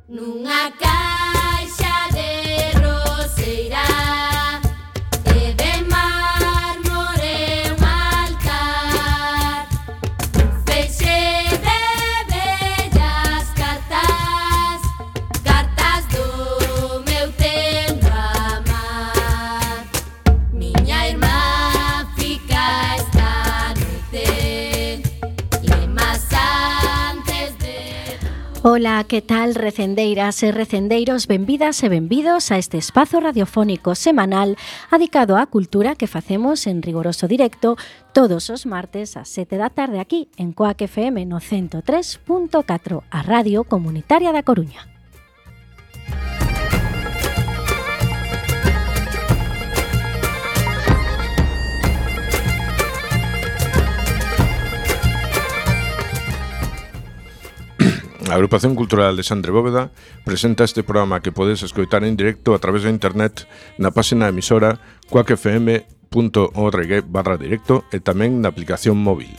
Nunha caixa de roseira e de mármore un altar, un feixe de bellas cartas, cartas do meu tempo amar. Miña irmá fica esta noite, lemas antes de... Ola, que tal, recendeiras e recendeiros? Benvidas e benvidos a este espazo radiofónico semanal adicado á cultura que facemos en rigoroso directo todos os martes ás 7 da tarde aquí en Coac FM no 103.4, a Radio Comunitaria da Coruña. A Agrupación Cultural Alexandre Bóveda presenta este programa que podes escoitar en directo a través da internet na página emisora coacfm.org/directo e tamén na aplicación móvil.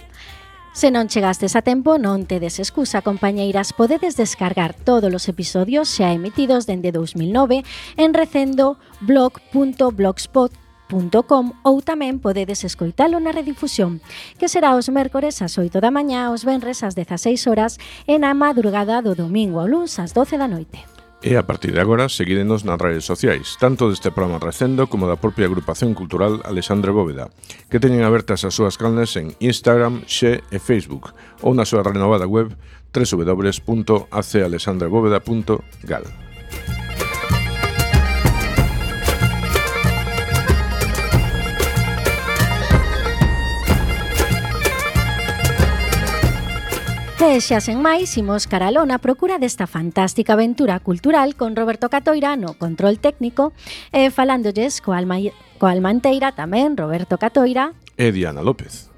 Se non chegastes a tempo, non tedes excusa, compañeiras. Podedes descargar todos os episodios xa emitidos dende 2009 en recendo.blog.blogspot.com ou tamén podedes escoitalo na redifusión, que será os mércores ás 8 da mañá, os venres ás 16 horas e na madrugada do domingo ao luns ás 12 da noite. E a partir de agora, seguídenos nas redes sociais, tanto deste programa Recendo como da propia Agrupación Cultural Alexandre Bóveda, que teñen abertas as súas canles en Instagram, Xe e Facebook, ou na súa renovada web www.acalexandrebóveda.gal. E xa sen máis, imos caraló na procura desta fantástica aventura cultural con Roberto Catoira no control técnico e falándolles coa alma enteira tamén Roberto Catoira E Diana López.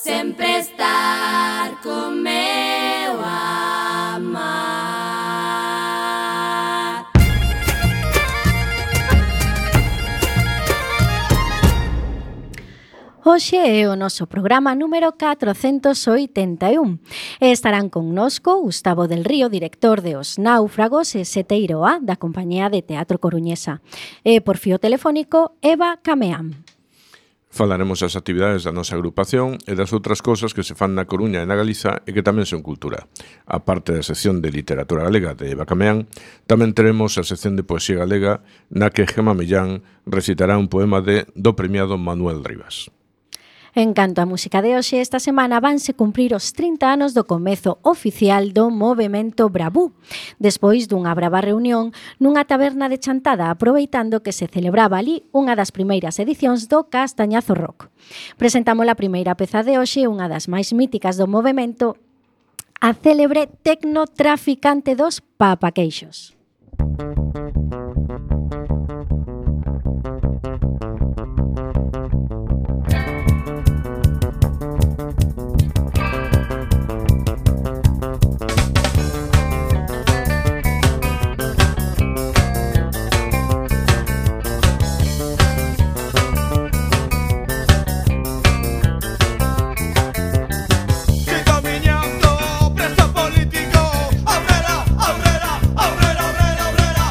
Sempre estar con meu amar. Hoxe é o noso programa número 481 e estarán connosco Gustavo del Río, director de Os Náufragos e Seteiro A da Compañía de Teatro Coruñesa, e por fío telefónico Eva Cameán. Falaremos das actividades da nosa agrupación e das outras cousas que se fan na Coruña e na Galiza e que tamén son cultura. A parte da sección de literatura galega de Eva Cameán, tamén teremos a sección de poesía galega na que Gema Millán recitará un poema do premiado Manuel Rivas. En canto á música de hoxe, esta semana vanse cumprir os 30 anos do comezo oficial do movemento Bravú, despois dunha brava reunión nunha taberna de Chantada, aproveitando que se celebraba ali unha das primeiras edicións do Castañazo Rock. Presentamos a primeira peza de hoxe, unha das máis míticas do movemento, a célebre Tecnotraficante dos Papaqueixos. Político, aurrera, aurrera, aurrera, aurrera, aurrera.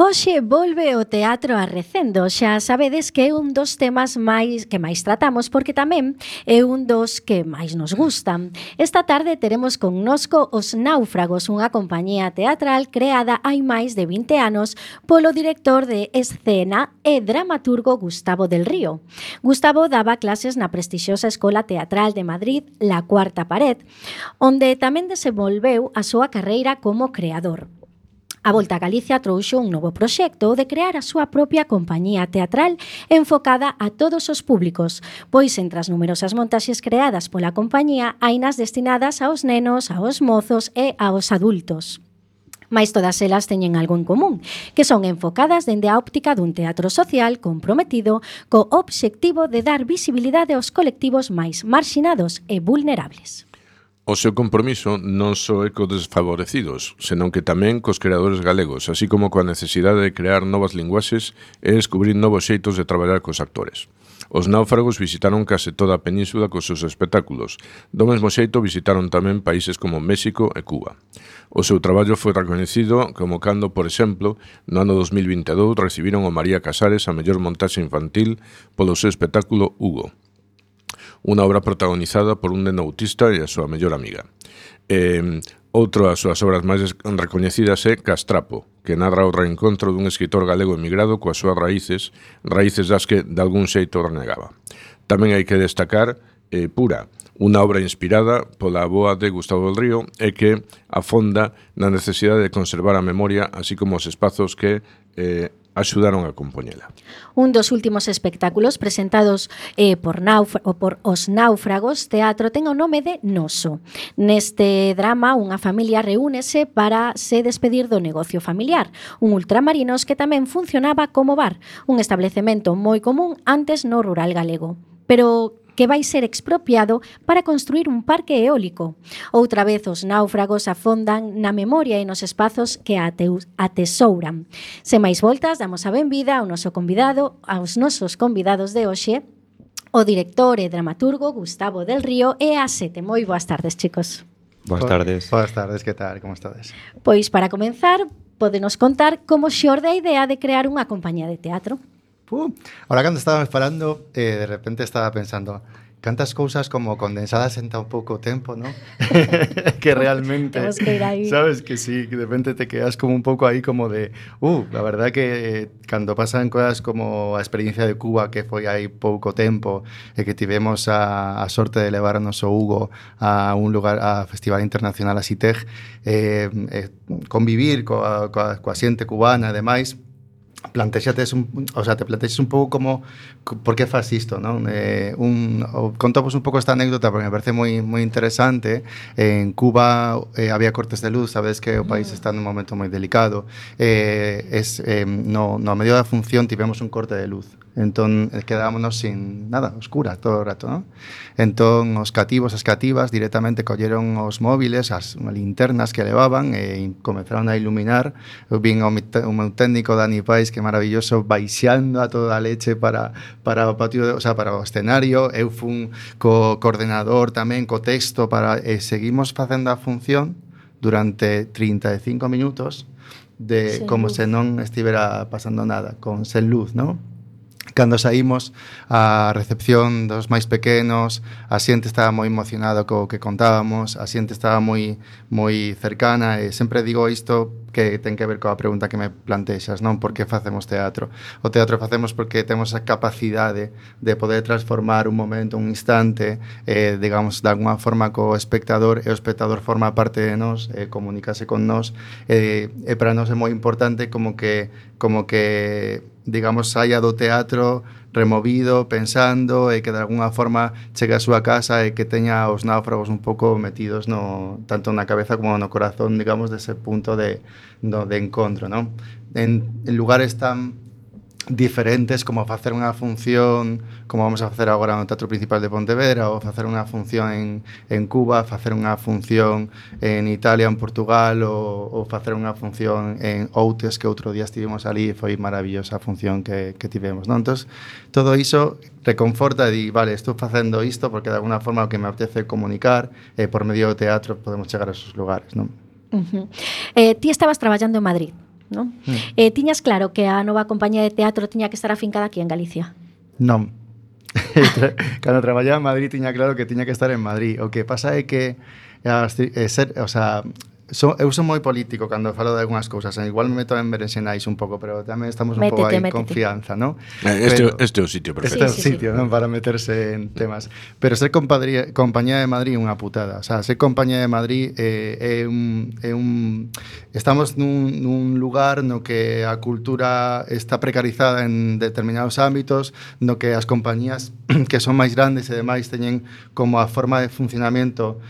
Hoxe volve o teatro a Recendo. Xa sabedes que é un dos temas que máis tratamos porque tamén é un dos que máis nos gustan. Esta tarde teremos connosco Os Náufragos, unha compañía teatral creada hai máis de 20 anos polo director de escena e dramaturgo Gustavo del Río. Gustavo daba clases na prestixiosa Escola Teatral de Madrid, La Cuarta Pared, onde tamén desenvolveu a súa carreira como creador. A volta a Galicia trouxo un novo proxecto de crear a súa propia compañía teatral enfocada a todos os públicos, pois entre as numerosas montaxes creadas pola compañía hai nas destinadas aos nenos, aos mozos e aos adultos. Mais todas elas teñen algo en común, que son enfocadas dende a óptica dun teatro social comprometido co obxectivo de dar visibilidade aos colectivos máis marxinados e vulnerables. O seu compromiso non só é co desfavorecidos, senón que tamén cos creadores galegos, así como coa necesidade de crear novas linguaxes e descubrir novos xeitos de traballar cos actores. Os Náufragos visitaron case toda a península cos seus espectáculos. Do mesmo xeito visitaron tamén países como México e Cuba. O seu traballo foi recoñecido como cando, por exemplo, no ano 2022 recibiron o María Casares a mellor montaxe infantil polo seu espectáculo Hugo, unha obra protagonizada por un neno autista e a súa mellor amiga. Outra das súas obras máis recoñecidas é Castrapo, que narra o reencontro dun escritor galego emigrado coas súas raíces das que de algún xeito renegaba. Tamén hai que destacar Pura, unha obra inspirada pola avoa de Gustavo del Río e que afonda na necesidade de conservar a memoria, así como os espazos que axudaron a compoñela. Un dos últimos espectáculos presentados por Os Náufragos Teatro ten o nome de Noso. Neste drama, unha familia reúnese para se despedir do negocio familiar, un ultramarinos que tamén funcionaba como bar, un establecemento moi común antes no rural galego. Pero que vai ser expropiado para construir un parque eólico. Outra vez os náufragos afondan na memoria e nos espazos que atesouran. Sen máis voltas, damos a benvida ao noso convidado, aos nosos convidados de hoxe, o director e dramaturgo Gustavo del Río e a Sete. Moi boas tardes, chicos. Boas tardes. Boas tardes, que tal? Como estades? Pois para comenzar, podenos contar como xorde a idea de crear unha compañía de teatro. Ahora cando estábamos falando, de repente estaba pensando cantas cousas como condensadas en tan pouco tempo, ¿no? Que realmente, que ir aí. Sabes que sí, que de repente te quedas como un pouco aí como de la verdad que cando pasan cosas como a experiencia de Cuba, que foi aí pouco tempo, e que tivemos a sorte de levar a noso Hugo a un lugar, a Festival Internacional a Citeg, convivir coa xente cubana e demais, te plantexas un pouco como por que faz isto, non? Contamos un pouco esta anécdota porque me parece moi interesante. En Cuba había cortes de luz, sabes que o país está nun momento moi delicado. No medio da función tivemos un corte de luz. Entón quedámonos sin nada, oscura todo o rato, non? Entón os cativos, as cativas directamente colleron os móviles, as linternas que levaban e comenzaron a iluminar. Eu vin o meu técnico Dani Pais, que maravilloso, baixando a toda a leche para o patio, para o escenario. Eu fun co coordenador tamén, co texto, seguimos facendo a función durante 35 minutos como se non estivera pasando nada, sen luz, non? Cando saímos a recepción dos máis pequenos, a xente estaba moi emocionada co que contábamos, a xente estaba moi cercana, e sempre digo isto que ten que ver coa pregunta que me plantexas, non? Por que facemos teatro? O teatro facemos porque temos a capacidade de poder transformar un momento, un instante, digamos, de alguna forma co espectador, e o espectador forma parte de nós, comunicase con nós, e para nós é moi importante como que digamos, saia do teatro removido, pensando, e que de alguna forma chegue a súa casa e que teña os náufragos un pouco metidos tanto na cabeza como no corazón, digamos, dese punto de encontro, non? En lugares tan diferentes como facer unha función como vamos a facer agora no Teatro Principal de Pontevedra, ou facer unha función en Cuba, facer unha función en Italia, en Portugal, ou facer unha función en Outes, que outro día estivemos ali e foi maravillosa a función que tivemos, non? Entón, todo iso reconforta e di, vale, estou facendo isto porque de alguna forma o que me apetece comunicar, por medio do teatro podemos chegar a esos lugares, non? Ti estabas traballando en Madrid. non? Tiñas claro que a nova compañía de teatro tiña que estar afincada aquí en Galicia? Non. Cando traballaba en Madrid tiña claro que tiña que estar en Madrid. O que pasa é que eu son moi político cando falo de algunhas cousas. Igual me meto en berenxenais un pouco, pero tamén estamos un pouco aí en confianza, ¿no? Este é o sitio perfecto. Este é o sitio, non? Para meterse en temas. Pero ser compañía de Madrid é unha putada. O sea, ser compañía de Madrid estamos nun lugar no que a cultura está precarizada en determinados ámbitos, no que as compañías que son máis grandes e demais teñen como a forma de funcionamento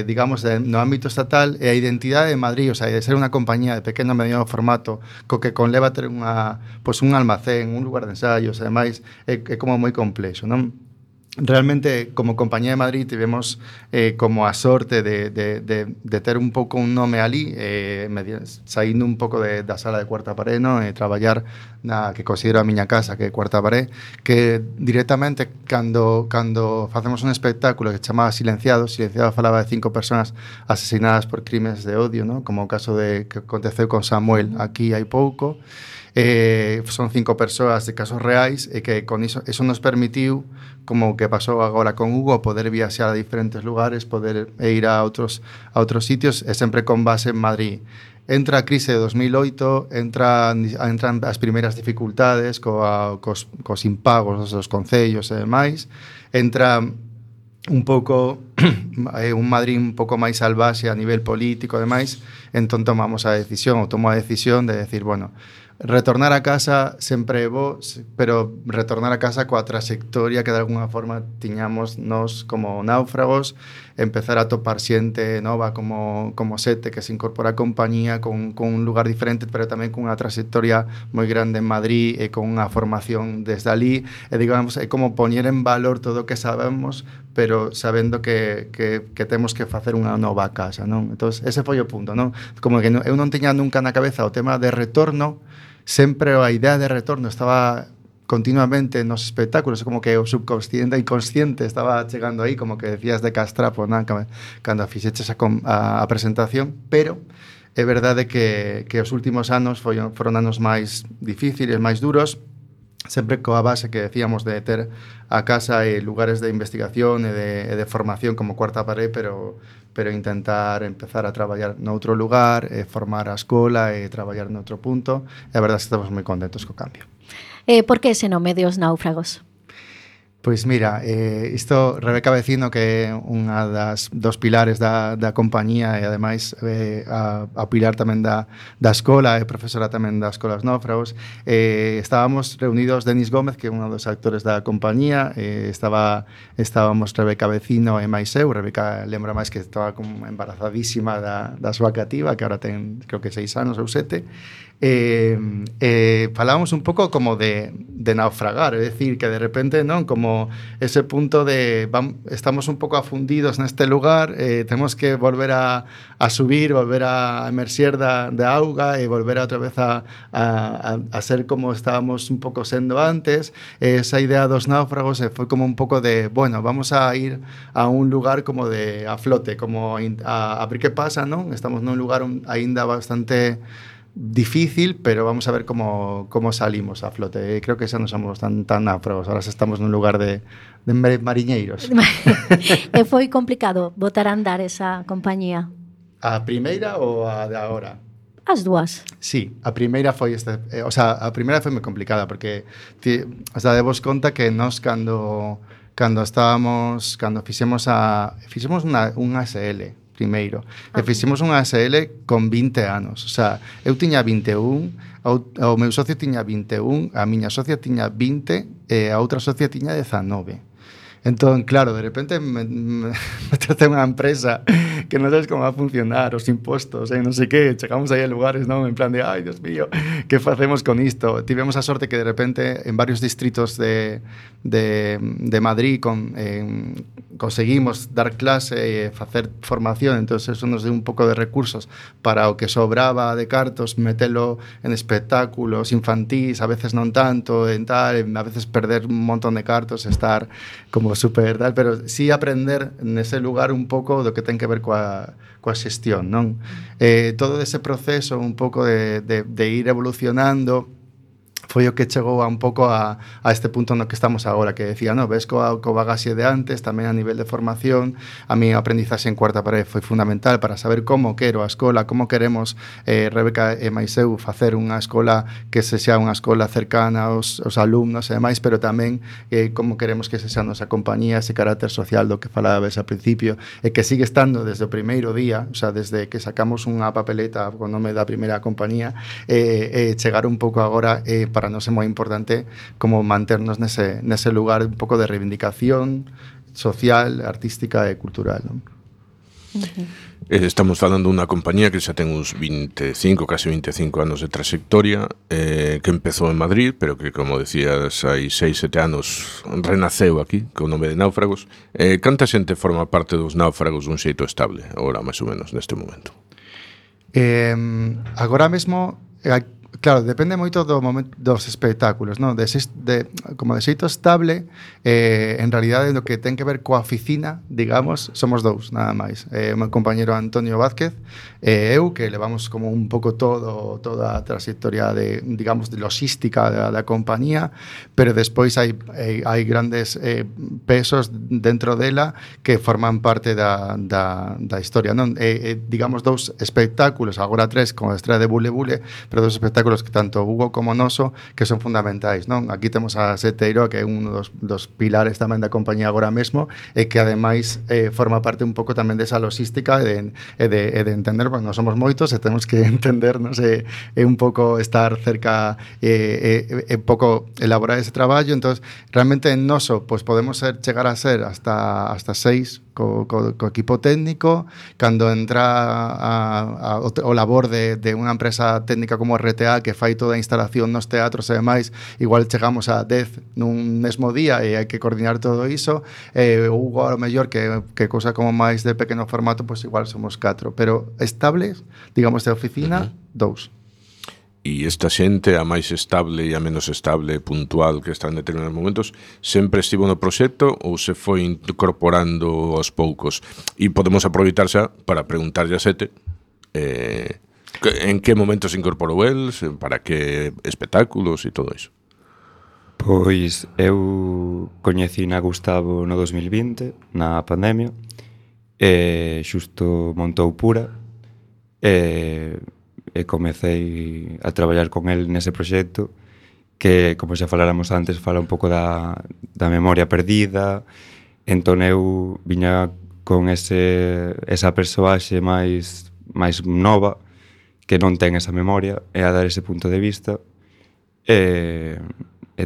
digamos, no ámbito estatal e a identidade de Madrid, o sea, de ser unha compañía de pequeno e mediano formato co que conleva ter un almacén, un lugar de ensaios e demais, é como moi complexo, non? Realmente, como compañía de Madrid, tivemos como a sorte de ter un pouco un nome ali, saindo un pouco da sala de Cuarta Pared, no? Traballar na que considero a miña casa, que é Cuarta Pared, que directamente, cando facemos un espectáculo que se chamaba Silenciado falaba de 5 personas asesinadas por crimes de odio, no? Como o caso que aconteceu con Samuel aquí hai pouco, son 5 persoas de casos reais e que con iso nos permitiu, como que pasou agora con Hugo, poder viaxar a diferentes lugares, poder ir a outros sitios e sempre con base en Madrid. Entra a crise de 2008, entran as primeiras dificultades cos impagos dos concellos e demais, entra un pouco un Madrid un pouco máis salvaxe a nivel político e demais, entón tomo a decisión de decir, bueno, retornar a casa sempre é bo, pero retornar a casa coa trayectoria que de alguna forma tiñamos nós como náufragos, empezar a topar xente nova como Sete, que se incorpora a compañía con un lugar diferente, pero tamén con unha trayectoria moi grande en Madrid e con unha formación desde ali, e digamos, é como poñer en valor todo o que sabemos, pero sabendo que temos que facer unha nova casa, non? Entón, ese foi o punto, non? Como que eu non tiña nunca na cabeza o tema de retorno, sempre a idea de retorno estaba continuamente nos espectáculos, como que o subconsciente e inconsciente estaba chegando aí, como que decías de Castrapo, ¿no? Cando fixeches a presentación, pero é verdade que os últimos anos foron anos máis difíciles, máis duros, sempre coa base que decíamos de ter a casa e lugares de investigación e de formación como Cuarta Pared, pero intentar empezar a traballar noutro lugar, formar a escola e traballar noutro punto, e a verdade é que estamos moi contentos co cambio. Por que ese nome de Os Náufragos? Pois mira, isto Rebeca Vecino, que é unha dos pilares da compañía e ademais a pilar tamén da escola, é profesora tamén da Escola Os Náufragos, estábamos reunidos Denis Gómez, que é un dos actores da compañía, estábamos Rebeca Vecino e máis eu. Rebeca lembra máis que estaba como embarazadísima da súa cativa, que agora ten creo que 6 anos ou 7, falábamos un pouco como de naufragar, é dicir, que de repente, non, como ese punto de estamos un pouco afundidos neste lugar, temos que volver a subir, volver a emerxer da auga e volver outra vez a ser como estábamos un pouco sendo antes. Esa idea dos náufragos foi como un pouco de, bueno, vamos a ir a un lugar como de a flote, como a ver que pasa, non? Estamos nun lugar aínda bastante difícil, pero vamos a ver cómo salimos a flote. Creo que xa non somos tan náufragos, ahora estamos nun lugar de mariñeiros. E foi complicado botar a andar esa compañía? A primeira ou a de agora? As dúas. Sí, a primeira foi a primeira foi moi complicada porque debos conta que nós cando fixemos unha SL primeiro, e fixemos unha SL con 20 anos, o sea, eu tiña 21, o meu socio tiña 21, a miña socia tiña 20 e a outra socia tiña 19. Entón, claro, de repente me traté unha empresa que non sabes como va a funcionar, os impostos, non sei que, chegamos aí a lugares, non, en plan de, ai, Dios mío, que facemos con isto? Tivemos a sorte que de repente en varios distritos de Madrid conseguimos dar clase e facer formación, entón eso nos deu un pouco de recursos para o que sobraba de cartos, metelo en espectáculos infantís, a veces non tanto, en tal, a veces perder un montón de cartos, estar como como super tal, pero sí aprender nese lugar un pouco do que ten que ver coa xestión, non? Todo ese proceso un pouco de ir evolucionando foi o que chegou a un pouco a este punto no que estamos agora, que decía, no, ves co bagaxe de antes, tamén a nivel de formación, a mi aprendizaxe en cuarta parede foi fundamental para saber como quero a escola, como queremos Rebeca e máis eu facer unha escola que se xa unha escola cercana aos alumnos e demais, pero tamén como queremos que se xa nosa compañía, ese carácter social do que falabas ao principio, e que sigue estando desde o primeiro día, o sea, desde que sacamos unha papeleta co nome da primeira compañía, chegar un pouco agora para nos é moi importante como manternos nese lugar un pouco de reivindicación social, artística e cultural, non? Estamos falando dunha compañía que xa ten uns 25, casi 25 anos de trayectoria, que empezou en Madrid, pero que, como decías, hai 6-7 anos renaceu aquí, co nome de Náufragos. Canta xente forma parte dos Náufragos dun xeito estable, agora, máis ou menos, neste momento? Agora mesmo... Claro, depende moito do momento dos espectáculos, non? Como de xeito estable, en realidade no que ten que ver coa oficina, digamos, somos dous, nada máis. O meu compañero Antonio Vázquez e eu, que levamos como un pouco toda a trayectoria de, digamos, de logística da compañía, pero despois hai grandes pesos dentro dela que forman parte da historia, non? Digamos, dous espectáculos, agora 3, con a estrela de Bule Bule, pero dous espectáculos que tanto Hugo como Noso que son fundamentais, non? Aquí temos a Seteiro, que é un dos pilares tamén da compañía agora mesmo, e que ademais forma parte un pouco tamén desa logística e de entender, porque non somos moitos e temos que entendernos e un pouco estar cerca e pouco elaborar ese traballo. Entón, realmente en Noso pues podemos chegar a ser hasta 6 co equipo técnico. Cando entra o labor de unha empresa técnica como RTA, que fai toda a instalación nos teatros e demais, igual chegamos a 10 nun mesmo día e hai que coordinar todo iso. Hugo, ao mellor, que cousa como máis de pequeno formato, pues igual somos 4, pero estables, digamos, de oficina, 2. E esta xente, a máis estable e a menos estable, puntual, que está en determinados momentos, sempre estivo no proxecto ou se foi incorporando aos poucos? E podemos aproveitar xa para preguntarlle a Sete en que momento se incorporou el, para que espectáculos e todo iso. Pois eu coñecín a Gustavo no 2020, na pandemia, e xusto montou Pura, e comecei a traballar con el nese proxecto que, como xa faláramos antes, fala un pouco da memoria perdida. Entón eu viña con esa persoaxe máis nova que non ten esa memoria e a dar ese punto de vista, e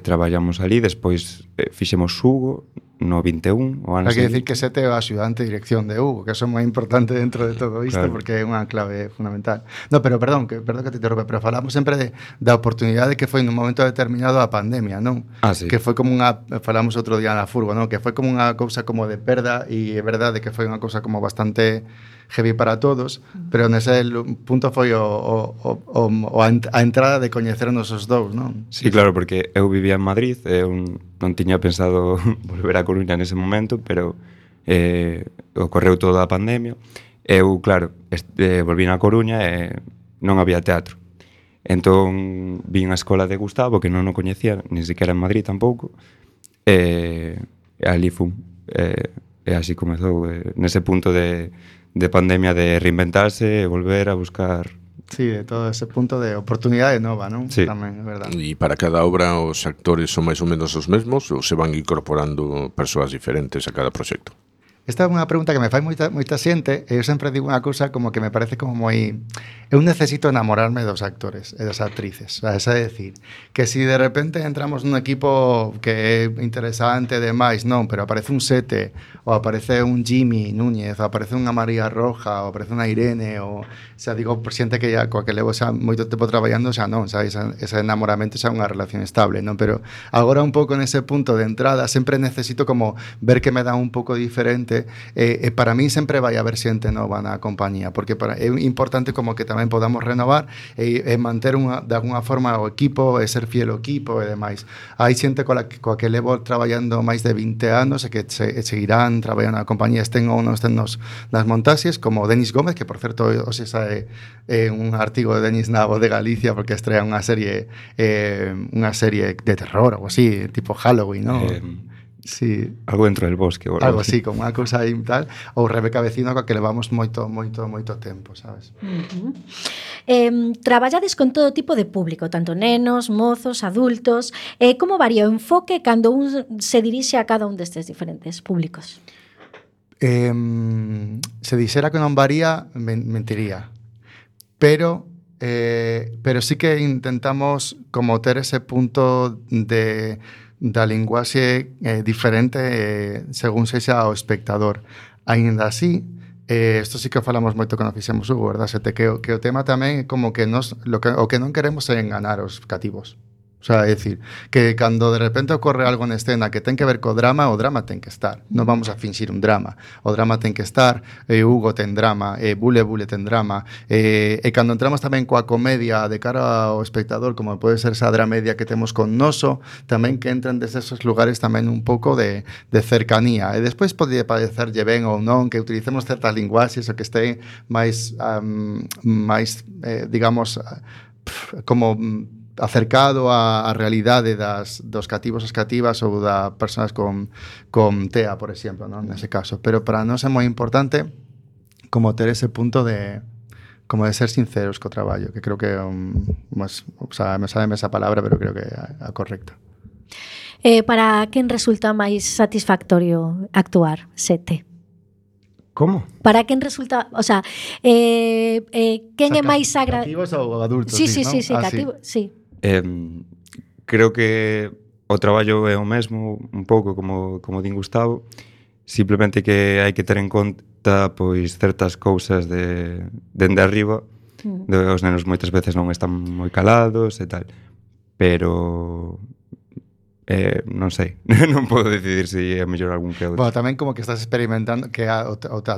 traballamos ali. Despois fixemos Hugo no 21, o ano. Hai que decir que Sete é o axudante de dirección de Hugo, que eso é moi importante dentro de todo isto, claro, porque é unha clave fundamental. No, pero perdón que te interrompe, pero falamos sempre da oportunidade que foi nun momento determinado a pandemia, non? Sí. Que foi como falamos outro día na Furgo, non? Que foi como unha cousa como de perda, e é verdade que foi unha cousa como bastante heavy para todos, pero nese punto foi a entrada de coñecernos os dous, non? Sí, claro, porque eu vivía en Madrid, eu non tiña pensado volver a Coruña nese momento, pero ocorreu toda a pandemia. Eu, claro, volvín a Coruña e non había teatro. Entón, vin a escola de Gustavo, que non o coñecía, nin siquiera en Madrid tampouco, e ali fun. E así comezou, nese punto de pandemia, de reinventarse e volver a buscar. Sí, de todo ese punto de oportunidade nova, non? Sí. Tamén, é verdade. E para cada obra os actores son máis ou menos os mesmos ou se van incorporando persoas diferentes a cada proxecto? Esta é unha pregunta que me fai moita xente, e eu sempre digo unha cousa como que me parece como moi... Eu necesito enamorarme dos actores e das actrices. O sea, é decir, que si de repente entramos nun equipo que é interesante e demais, non, pero aparece un Sete, ou aparece un Jimmy Núñez, ou aparece unha María Roja, ou aparece unha Irene, ou... O sea, digo, por xente que coa que levo xa moito tempo traballando, xa non, xa ese enamoramento xa é unha relación estable, non? Pero agora un pouco nese punto de entrada sempre necesito como ver que me dá un pouco diferente importante, e para mí sempre vai haber xente nova na compañía, porque é importante como que tamén podamos renovar e manter de alguna forma o equipo e ser fiel ao equipo e demais. Hai xente coa que levo traballando máis de 20 anos e que seguirán traballando na compañía, estén ou non estén nas montaxes, como Denis Gómez, que por certo hoxe sae un artigo de Denis na Voz de Galicia porque estrea unha serie de terror ou así, tipo Halloween, ¿no? Sí. Algo dentro del bosque. Algo así, como unha cousa aí tal. Ou Rebeca Vecino, coa que levamos moito tempo, sabes? Traballades con todo tipo de público, tanto nenos, mozos, adultos. Como varía o enfoque cando un se dirixe a cada un destes diferentes públicos? Se dixera que non varía, mentiría. Pero sí que intentamos como ter ese punto da linguaxe diferente según sexa o espectador. Aínda así, isto sí que falamos moito cando fixemos Hugo, verdad? Que o tema tamén é como que o que non queremos é enganar os cativos. O sea, é dicir, que cando de repente ocorre algo na escena que ten que ver co drama, o drama ten que estar. Non vamos a finxir un drama. O drama ten que estar, Hugo ten drama, Bule ten drama, e cando entramos tamén coa comedia de cara ao espectador, como pode ser esa dramedia que temos con Noso, tamén que entran desde esos lugares tamén un pouco de cercanía. E despois pode parecerlle ben ou non que utilicemos certas linguaxes ou que este máis digamos, como acercado á realidade dos cativos e cativas ou das persoas con TEA, por exemplo, non? Nese caso. Pero para nós é moi importante como ter ese punto de ser sinceros co traballo, que creo que é me sabe esa palabra, pero creo que é a correcta. Para quen resulta máis satisfactorio actuar, Sete? Como? Para quen resulta, o sea, quen é máis cativos ou adultos? Sí, ¿no? cativos, sí. Creo que o traballo é o mesmo un pouco como din Gustavo, simplemente que hai que ter en conta pois certas cousas dende arriba. Os nenos moitas veces non están moi calados e tal, pero non sei, non podo decidir se é mellor algún que outro. Bueno, tamén como que estás experimentando que a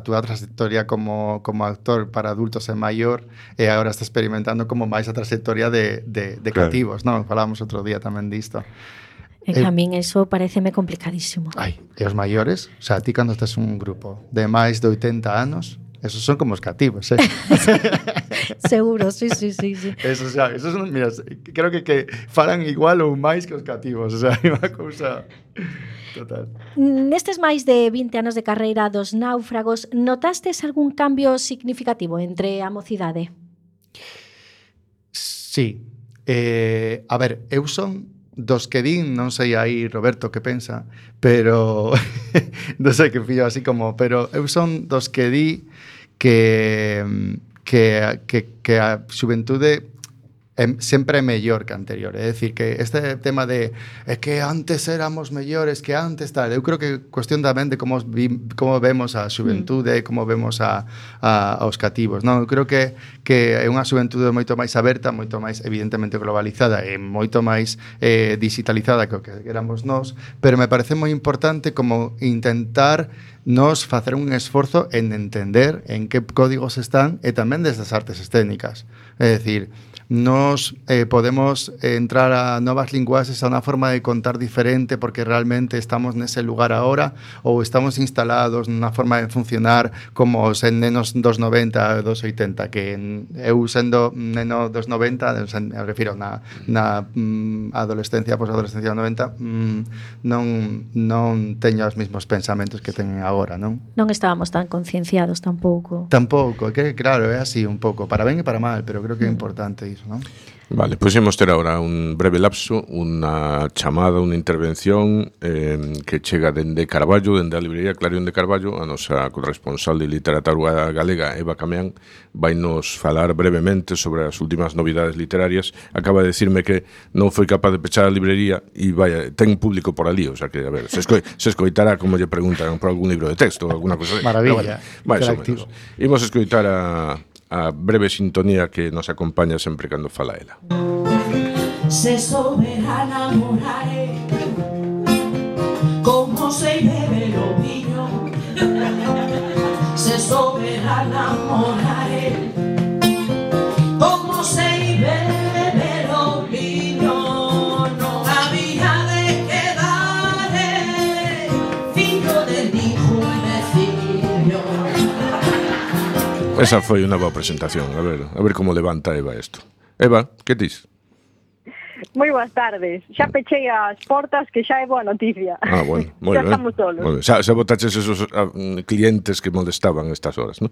túa trayectoria como actor para adultos é maior e agora estás experimentando como máis a trayectoria de claro, cativos, non? Falábamos outro día tamén disto. A min eso pareceme complicadísimo. Ai, e os maiores? O sea, ti cando estás un grupo de máis de 80 anos, esos son como os cativos, Seguro, sí. Esos son, mira, creo que falan igual ou máis que os cativos, o sea, é unha cousa total. Nestes máis de 20 anos de carreira dos Náufragos, notastes algún cambio significativo entre a mocidade? Sí. A ver, eu son dos que din, non sei aí Roberto que pensa, pero non sei que fillo así como, pero eu son dos que di que a xuventude sempre é mellor que anterior. É dicir, que este tema de que antes éramos mellores que antes, tal, eu creo que cuestión tamén de como vemos a xuventude, como vemos aos cativos. Non, eu creo que é unha xuventude moito máis aberta, moito máis evidentemente globalizada e moito máis digitalizada que o que éramos nós, pero me parece moi importante como intentar nos facer un esforzo en entender en que códigos están e tamén desde as artes escénicas. É dicir, nos podemos entrar a novas linguaxes, a unha forma de contar diferente porque realmente estamos nese lugar agora ou estamos instalados nunha forma de funcionar como os nenos dos 90 e dos 80, que eu sendo neno dos 90, me refiro na adolescencia, posadolescencia dos 90, non teño os mesmos pensamentos que teñen agora, non? Non estábamos tan concienciados tampouco. Tampouco, que claro, é así un pouco, para ben e para mal, pero creo que é importante iso, non? Vale, pois imos ter agora un breve lapso, unha chamada, unha intervención que chega dende Carballo, dende a librería Clarión de Carballo. A nosa corresponsal de literatura galega, Eva Cameán, vai nos falar brevemente sobre as últimas novidades literarias. Acaba de decirme que non foi capaz de pechar a librería e vai, ten público por ali, o sea que, a ver, se escoitará como lle preguntan por algún libro de texto ou alguna cosa. Maravilla, máis ou menos. Imos escoitar a breve sintonía que nos acompaña sempre cando fala ela. Se soberana morare como se bebe lo viño enamoraré. Como se bebe o viño, non había de quedar fillo de ningún vecino. Esa foi unha boa presentación. A ver como levanta Eva isto. Eva, que dis? Moi boas tardes. Xa pechei as portas, que xa é boa noticia. Ah, bueno, moi Xa ben. estamos solos. Moi ben. Xa botaches esos clientes que molestaban estas horas, non?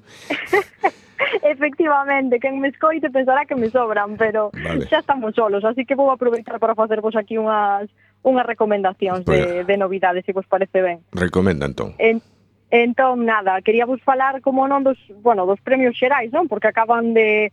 Efectivamente, quen me escoite pensará que me sobran, pero Vale. xa estamos solos, así que vou aproveitar para facervos aquí unhas recomendacións de novidades, se vos parece ben. Recomenda, entón. Entón, nada, quería vos falar como non dos premios xerais, non? Porque acaban de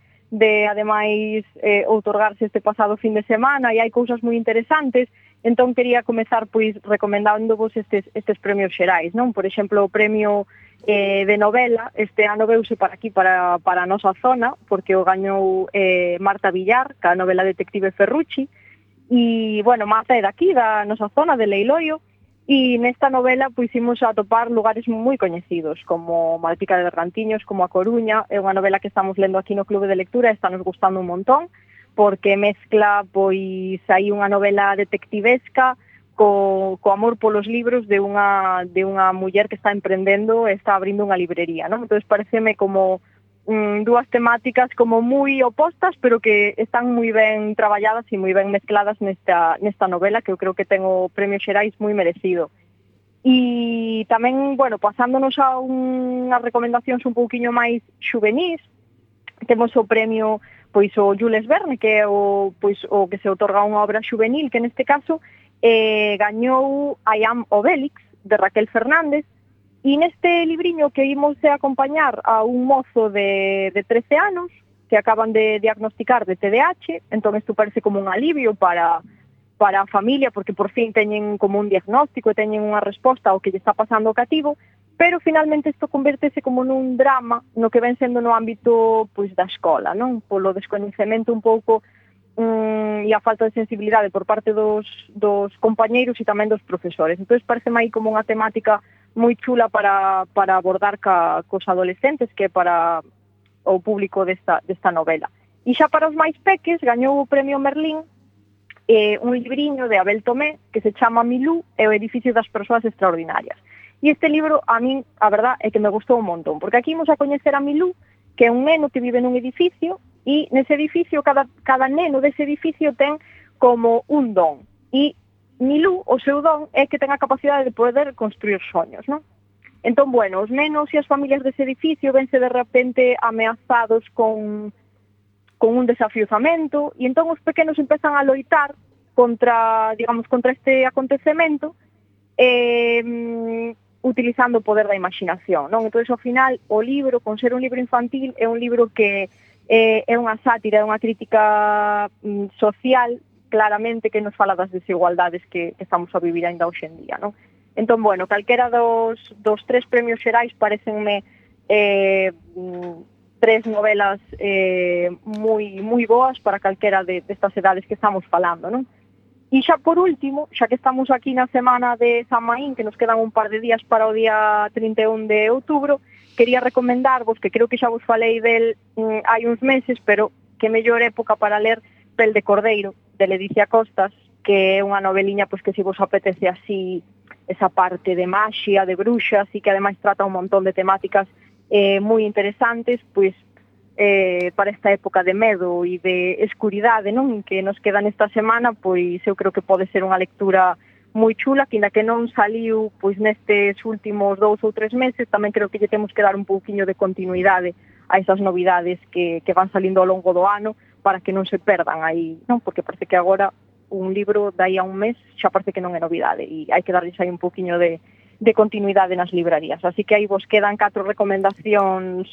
ademais outorgarse este pasado fin de semana e hai cousas moi interesantes, entón quería comezar pois recomendándovos estes premios xerais, non? Por exemplo, o premio de novela este ano veuse para aquí, para a nosa zona, porque o gañou Marta Villar, ca novela Detective Ferrucci, e, bueno, Marta é daqui, da nosa zona, de Leiloio, e nesta novela pois imos a atopar lugares moi coñecidos, como Malpica de Bergantiños, como A Coruña. É unha novela que estamos lendo aquí no Clube de Lectura e está nos gustando un montón, porque mezcla pois aí unha novela detectivesca co amor polos libros de unha muller que está emprendendo e está abrindo unha librería, non? Entón, pareceme como dúas temáticas como moi opostas, pero que están moi ben traballadas e moi ben mezcladas nesta novela, que eu creo que ten o premio xerais moi merecido. E tamén, bueno, pasándonos a unhas recomendacións un pouquiño máis xuvenís, temos o premio pois o Jules Verne, que é o que se outorga unha obra xuvenil, que neste caso gañou I Am Obélix, de Raquel Fernández. E neste libriño que imos a acompañar a un mozo de 13 anos que acaban de diagnosticar de TDAH, entón isto parece como un alivio para a familia, porque por fin teñen como un diagnóstico e teñen unha resposta ao que lle está pasando ao cativo, pero finalmente isto convertese como nun drama no que ven sendo no ámbito pois da escola, non? Polo descoñecemento un pouco e a falta de sensibilidade por parte dos compañeiros e tamén dos profesores. Entón parece aí como unha temática moi chula para abordar cos adolescentes, que é para o público desta novela. E xa para os máis peques gañou o premio Merlín un libriño de Abel Tomé que se chama Milú e o edificio das persoas extraordinarias. E este libro, a min, a verdad, é que me gustou un montón, porque aquí imos a coñecer a Milú, que é un neno que vive nun edificio, e nese edificio, cada neno dese edificio ten como un don. E Milú, o seu don, é que ten a capacidade de poder construir soños, non? Entón, bueno, os nenos e as familias dese edificio vense de repente ameazados con un desafiuzamento, e entón os pequenos empezan a loitar contra este acontecemento, utilizando o poder da imaginación, non? Entón, ao final, o libro, con ser un libro infantil, é un libro que é unha sátira, é unha crítica social, claramente, que nos fala das desigualdades que estamos a vivir ainda hoxe en día, non? Entón, bueno, calquera dos tres premios xerais parecenme tres novelas moi boas para calquera destas edades que estamos falando, non? E xa por último, xa que estamos aquí na semana de San Maín, que nos quedan un par de días para o día 31 de outubro, quería recomendarvos, que creo que xa vos falei del hai uns meses, pero que mellor época para ler Pel de Cordeiro, de Ledicia Costas, que é unha noveliña pois que se vos apetece así esa parte de maxia, de bruxas, e que ademais trata un montón de temáticas moi interesantes, pois para esta época de medo e de escuridade, non, que nos queda nesta semana, pois eu creo que pode ser unha lectura moi chula, que ainda que non saliu pois nestes últimos 2 ou 3 meses, tamén creo que lle temos que dar un pouquiño de continuidade a esas novidades que van salindo ao longo do ano, para que non se perdan aí, non? Porque parece que agora un libro dai a un mes xa parece que non é novidade, e hai que darles aí un pouquiño de continuidade nas librarías. Así que aí vos quedan 4 recomendacións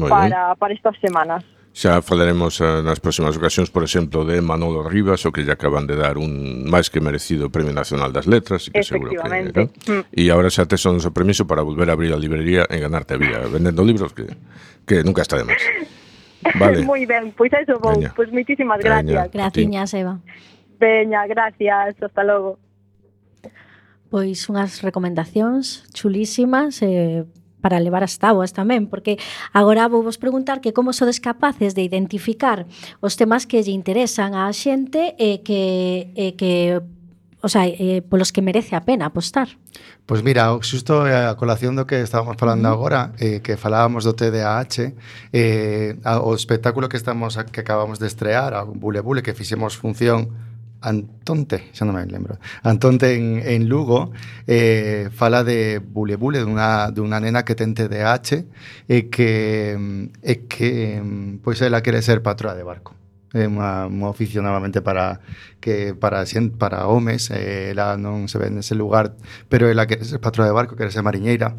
para estas semanas. Xa falaremos nas próximas ocasións, por exemplo, de Manolo Rivas, o que lle acaban de dar un máis que merecido Premio Nacional das Letras, e que seguro que, ¿no? E agora xa tes o noso permiso para volver a abrir a librería e ganarte a vida vendendo libros, que nunca está de máis. Vale. Moi ben, pois eso vou. Pois moitísimas gracias. Graciñas, Eva. Veña, gracias, hasta logo. Pois unhas recomendacións chulísimas, para levar as táboas tamén, porque agora vou vos preguntar que como sodes capaces de identificar os temas que lle interesan á xente e que o sea, polos que merece a pena apostar. Pois mira, xusto a colación do que estábamos falando agora, que falábamos do TDAH, o espectáculo que acabamos de estrear, a Bule Bule, que fixemos función Antonte, xa non me lembro, Antonte en Lugo, fala de Bule Bule, dunha nena que ten TDAH e que pois ela quere ser patroa de barco. É un oficio novamente para homes, ela non se ve nese lugar, pero ela quere ser patroa de barco, quere ser mariñeira,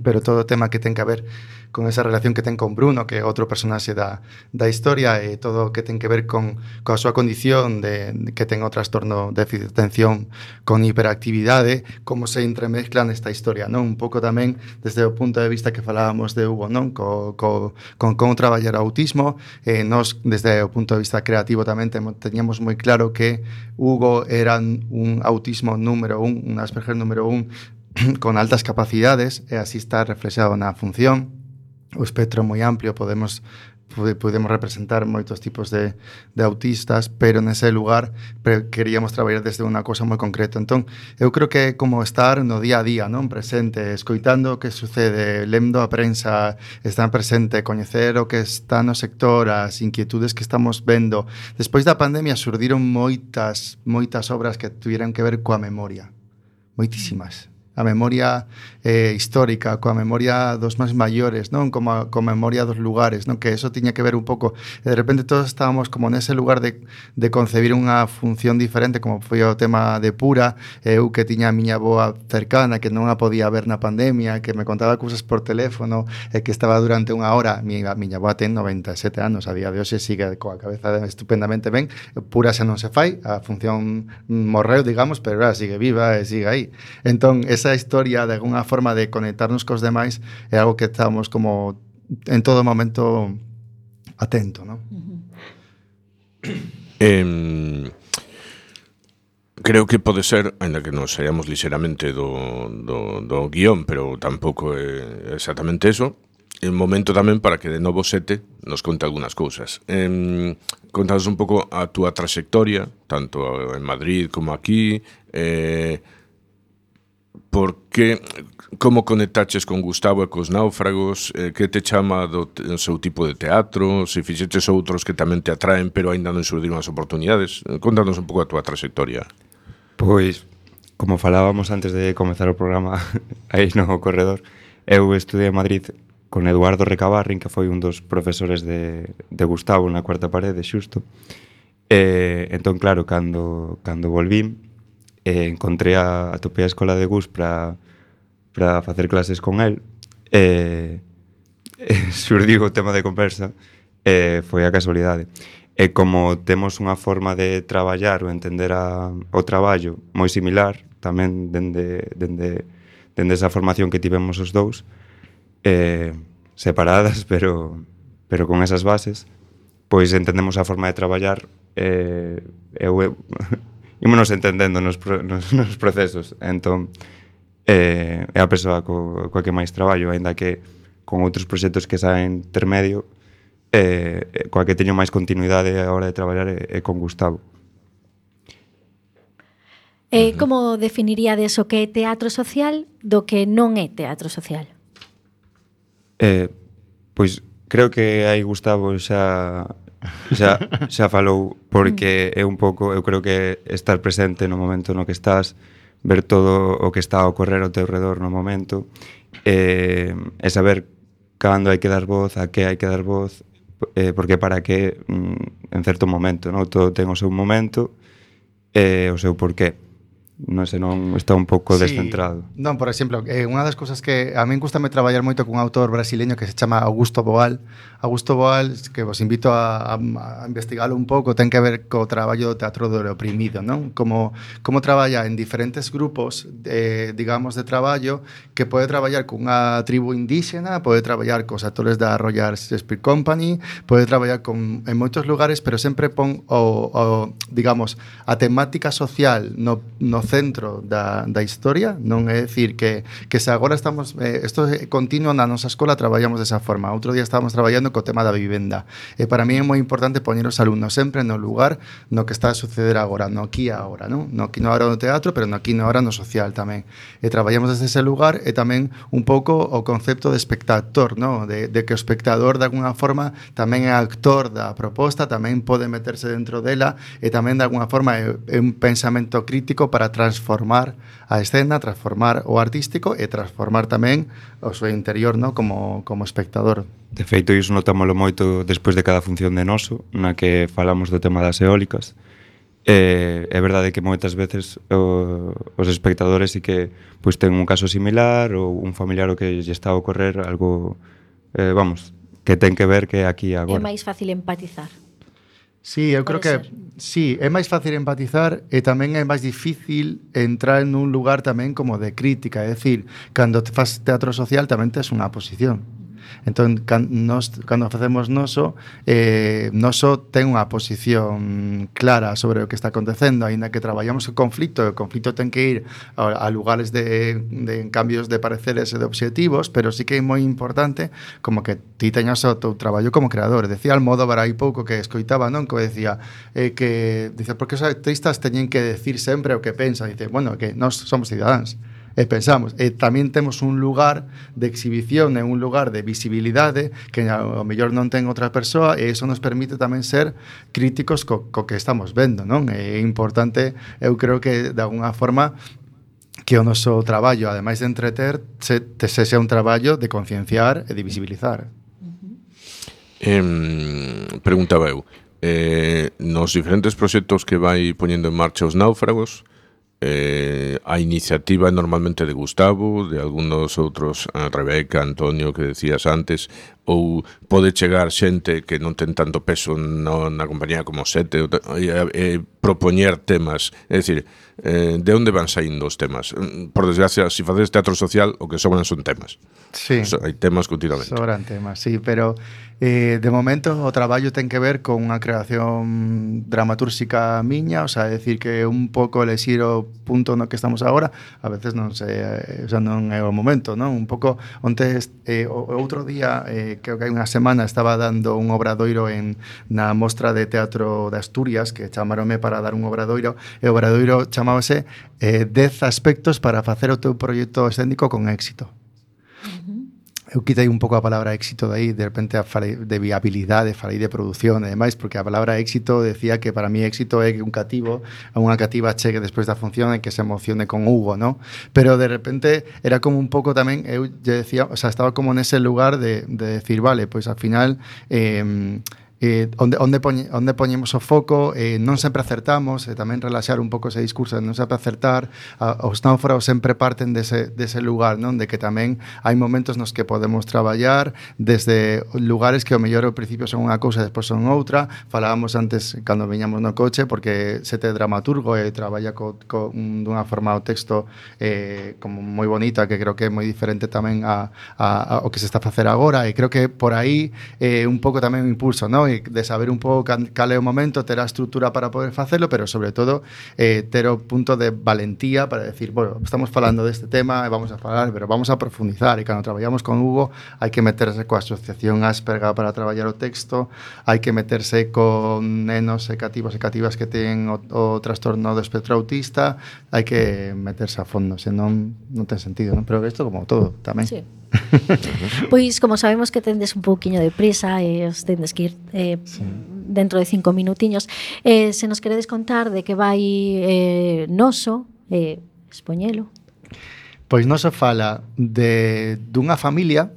pero todo o tema que ten que ver con esa relación que ten con Bruno, que é outro personaxe da historia, e todo o que ten que ver coa súa condición que ten o trastorno de déficit de atención con hiperactividade, como se entremezclan nesta historia, non? Un pouco tamén desde o punto de vista que falábamos de Hugo, non? Con como traballar o autismo, nos desde o punto de vista creativo tamén teníamos moi claro que Hugo era un autismo número 1, un Asperger número 1, con altas capacidades, e así está reflexado na función. O espectro moi amplio, podemos representar moitos tipos de autistas, pero nese lugar queríamos traballar desde unha cosa moi concreta. Entón, eu creo que é como estar no día a día, non? Presente, escoitando o que sucede, lendo a prensa, estar presente, coñecer o que está no sector, as inquietudes que estamos vendo. Despois da pandemia surdiron moitas obras que tuviran que ver coa memoria, moitísimas. A memoria histórica, coa memoria dos máis maiores, non? Como a memoria dos lugares, non? Que eso tiña que ver un pouco, e de repente todos estábamos como nese lugar de concebir unha función diferente, como foi o tema de Pura, eu que tiña a miña avoa cercana, que non a podía ver na pandemia, que me contaba cousas por teléfono, e que estaba durante unha hora. A miña avoa ten 97 anos, a día de hoxe sigue coa cabeza estupendamente ben. Pura xa non se fai, a función morreu, digamos, pero ela sigue viva e sigue aí. Entón, esa historia de alguna forma de conectarnos cos demais é algo que estamos como en todo momento atento, non? Creo que pode ser, ainda que nos saíamos lixeramente do guión, pero tampouco é exactamente eso, un momento tamén para que de novo Sete nos conte algunhas cousas. Contanos un pouco a túa trayectoria, tanto en Madrid como aquí, como conectaches con Gustavo e cos Náufragos, que te chama do seu tipo de teatro, se fixeches outros que tamén te atraen pero aínda non surdiron as oportunidades. Contanos un pouco a túa trayectoria. Pois, como falábamos antes de comezar o programa aí no corredor, eu estudei en Madrid con Eduardo Recabarrin, que foi un dos profesores de Gustavo na cuarta parede, xusto. Entón, claro, cando volvín, encontrei atopei a escola de Gus para facer clases con el, surdiu o tema de conversa, foi a casualidade. E como temos unha forma de traballar ou entender o traballo moi similar, tamén dende esa formación que tivemos os dous, separadas, pero con esas bases, pois entendemos a forma de traballar, ímonos entendendo nos procesos. Entón, é a persoa coa que máis traballo, aínda que con outros proxectos que saen intermedio, coa que teño máis continuidade a hora de traballar é con Gustavo. Como definiríades o que é teatro social do que non é teatro social? Pois creo que aí Gustavo xa falou, porque é un pouco, eu creo que estar presente no momento no que estás, ver todo o que está a ocorrer ao teu redor no momento, e saber cando hai que dar voz, a que hai que dar voz, porque para que en certo momento, non? Todo ten o seu momento e o seu porqué. Non sei, non está un pouco descentrado. Non, por exemplo, unha das cousas que a min gustame traballar moito con un autor brasileño que se chama Augusto Boal. Augusto Boal, que vos invito a investigalo un pouco, ten que ver co traballo do teatro do oprimido, non? Como traballa en diferentes grupos, digamos, de traballo, que pode traballar con unha tribu indígena, pode traballar cos actores da Royal Shakespeare Company, pode traballar en moitos lugares, pero sempre pon digamos, a temática social no centro da historia, non é dicir que se agora estamos isto é continuo na nosa escola, traballamos desa forma. Outro día estábamos traballando co tema da vivenda, e para mí é moi importante poñer os alumnos sempre no lugar no que está a suceder agora, no aquí e agora, non? No aquí no agora no teatro, pero no aquí no agora no social tamén. E traballamos desde ese lugar, e tamén un pouco o concepto de espectador, non? De que o espectador de alguna forma tamén é actor da proposta, tamén pode meterse dentro dela, e tamén de alguna forma é un pensamento crítico para transformar a escena, transformar o artístico e transformar tamén o seu interior, non? Como espectador. De feito, iso notámoslo moito despois de cada función de Noso, na que falamos do tema das eólicas. É verdade que moitas veces os espectadores sí que pois ten un caso similar ou un familiar o que lle está a ocorrer algo, que ten que ver que aquí agora. É máis fácil empatizar. Sí, eu creo que sí, é máis fácil empatizar e tamén é máis difícil entrar en un lugar tamén como de crítica, é dicir, cando te faz teatro social tamén tes unha posición. Entón, cando facemos Noso, Noso ten unha posición clara sobre o que está acontecendo, aínda que traballamos o conflito ten que ir a lugares de cambios de pareceres e de obxectivos, pero sí que é moi importante como que ti teñas o teu traballo como creador. Decía Almodóvar hai pouco que escoitaba, non? Que decía, dice, porque os artistas teñen que decir sempre o que pensan. Dice, bueno, que nós somos cidadáns. E pensamos, e tamén temos un lugar de exhibición e un lugar de visibilidade que ao mellor non ten outra persoa, e iso nos permite tamén ser críticos co que estamos vendo, non? É importante, eu creo que de alguna forma que o noso traballo, ademais de entreter, sexa un traballo de concienciar e de visibilizar. Preguntaba eu, nos diferentes proxectos que vai poñendo en marcha os náufragos, a iniciativa normalmente de Gustavo, de algunos outros, Rebeca, Antonio, que decías antes, ou pode chegar xente que non ten tanto peso na compañía como Sete, propoñer temas, é dicir, de onde van saindo os temas? Por desgracia, se faces teatro social, o que sobran son temas. Sí. Hai temas continuamente. Sobran temas, sí, pero de momento o traballo ten que ver con unha creación dramatúrxica miña, o sea, decir que un pouco elexir o punto no que estamos agora, a veces non sei, o sea, non é o momento, non? Un pouco, onte, o outro día, creo que hai unha semana, estaba dando un obradoiro na Mostra de Teatro de Asturias, que chamaronme para dar un obradoiro, e o obradoiro chamábase 10 aspectos para facer o teu proxecto escénico con éxito. Eu quitei un pouco a palabra éxito de aí, de repente falei de viabilidade, falei de produción e demais, porque a palabra éxito decía que para mí éxito é que un cativo, unha cativa chegue despois da función e que se emocione con Hugo, ¿no? Pero de repente era como un pouco tamén, eu lle decía, o sea, estaba como nese lugar de decir, vale, pois ao final onde poñemos o foco, non sempre acertamos, e tamén relaxar un pouco ese discurso de non sempre acertar. Os náufragos sempre parten dese lugar, non? De que tamén hai momentos nos que podemos traballar desde lugares que ao mellor ao principio son unha cousa e despois son outra. Falábamos antes cando viñamos no coche, porque Sete é dramaturgo e traballa dunha forma o texto como moi bonita, que creo que é moi diferente tamén ao que se está a facer agora, e creo que por aí un pouco tamén o impulso, non? De saber un pouco cal é o momento, ter a estrutura para poder facelo, pero sobre todo ter o punto de valentía para decir, bueno, estamos falando deste tema e vamos a falar, pero vamos a profundizar, e cando traballamos con Hugo hai que meterse coa asociación Asperga para traballar o texto, hai que meterse con nenos e cativos e cativas que ten o trastorno do espectro autista, hai que meterse a fondo, senón non ten sentido, non? Pero isto como todo tamén. Sí. Pois como sabemos que tendes un pouquiño de prisa e os tendes que ir dentro de 5 minutiños, se nos queredes contar de que vai Noso, expoñelo. Pois Noso fala dunha familia